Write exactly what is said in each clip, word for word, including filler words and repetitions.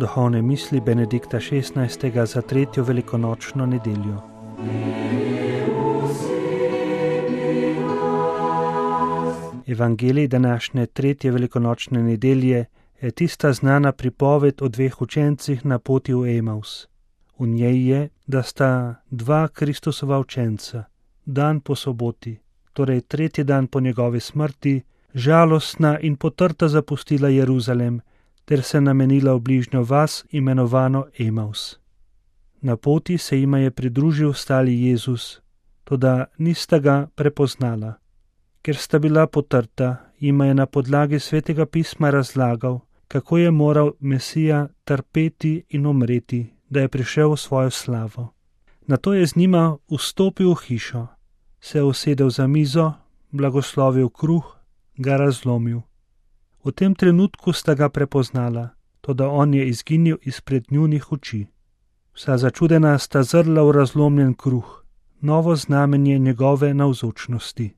Duhovne misli Benedikta šestnajstega za tretjo velikonočno nedeljo. Evangelij današnje tretje velikonočne nedelje je tista znana pripoved o dveh učencih na poti v Emaus. V njej je, da sta dva Kristusova učenca, dan po soboti, torej tretji dan po njegovi smrti, žalostna in potrta zapustila Jeruzalem ter se namenila v bližnjo vas imenovano Emaus. Na poti se jima je pridružil stali Jezus, toda nista ga prepoznala. Ker sta bila potrta, jima je na podlagi svetega pisma razlagal, kako je moral Mesija trpeti in umreti, da je prišel v svojo slavo. Nato je z njima vstopil v hišo, se usedel za mizo, blagoslovil kruh, ga razlomil. V tem trenutku sta ga prepoznala, toda on je izginil izpred njunih oči. Vsa začudena sta zrla v razlomljen kruh, novo znamenje njegove navzočnosti.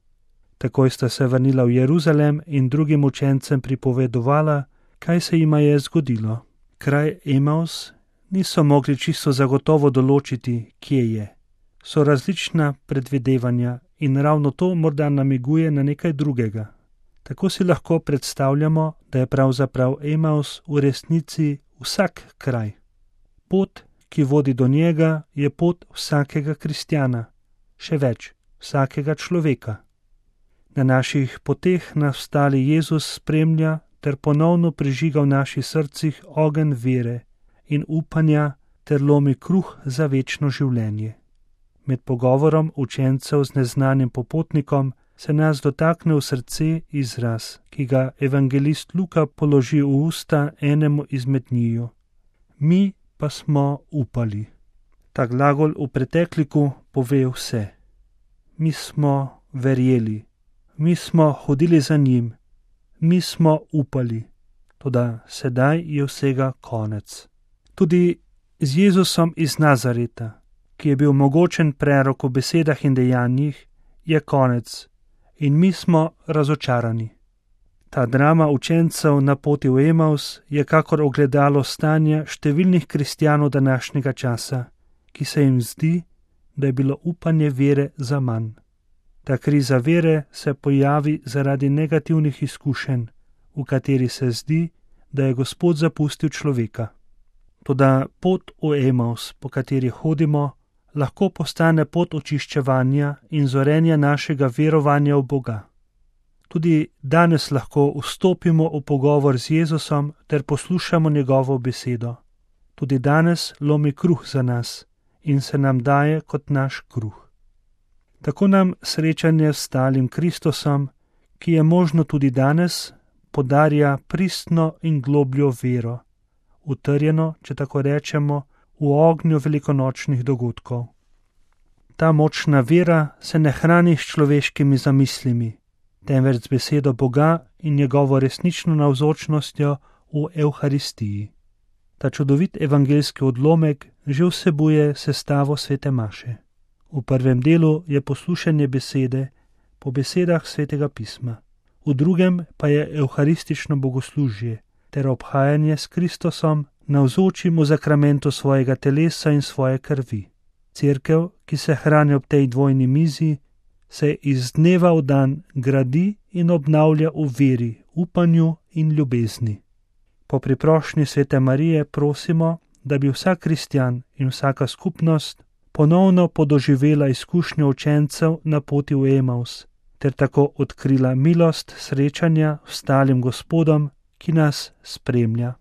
Takoj sta se vrnila v Jeruzalem in drugim učencem pripovedovala, kaj se jima je zgodilo. Kraj Emaus niso mogli čisto zagotovo določiti, kje je. So različna predvidevanja in ravno to morda namiguje na nekaj drugega. Tako si lahko predstavljamo, da je pravzaprav Emaus v resnici vsak kraj. Pot, ki vodi do njega, je pot vsakega kristjana, še več, vsakega človeka. Na naših poteh nas stali Jezus spremlja ter ponovno prižiga v naših srcih ogenj vere in upanja ter lomi kruh za večno življenje. Med pogovorom učencev z neznanim popotnikom se nas dotakne v srce izraz, ki ga evangelist Luka položi v usta enemu izmed njiju. Mi pa smo upali. Ta glagol v pretekliku pove vse. Mi smo verjeli. Mi smo hodili za njim, mi smo upali, toda sedaj je vsega konec. Tudi z Jezusom iz Nazareta, ki je bil mogočen prerok v besedah in dejanjih, je konec in mi smo razočarani. Ta drama učencev na poti v Emaus je kakor ogledalo stanja številnih kristjanov današnjega časa, ki se jim zdi, da je bilo upanje vere zaman. Ta kriza vere se pojavi zaradi negativnih izkušenj, v kateri se zdi, da je Gospod zapustil človeka. Toda pot v Emaus, po kateri hodimo, lahko postane pot očiščevanja in zorenja našega verovanja v Boga. Tudi danes lahko vstopimo v pogovor z Jezusom ter poslušamo njegovo besedo. Tudi danes lomi kruh za nas in se nam daje kot naš kruh. Tako nam srečanje s stalim Kristusom, ki je možno tudi danes, podarja pristno in globljo vero, utrjeno, če tako rečemo, v ognju velikonočnih dogodkov. Ta močna vera se ne hrani s človeškimi zamislimi, temveč z besedo Boga in njegovo resnično navzočnostjo v Evharistiji. Ta čudovit evangeljski odlomek že vsebuje sestavo svete maše. V prvem delu je poslušanje besede po besedah svetega pisma, v drugem pa je evharistično bogoslužje ter obhajanje s Kristusom navzočim v zakramentu svojega telesa in svoje krvi. Cerkev, ki se hrani ob tej dvojni mizi, se iz dneva v dan gradi in obnavlja v veri, upanju in ljubezni. Po priprošnji svete Marije prosimo, da bi vsak kristjan in vsaka skupnost ponovno podoživela izkušnjo učencev na poti v Emaus, ter tako odkrila milost srečanja s stalim Gospodom, ki nas spremlja.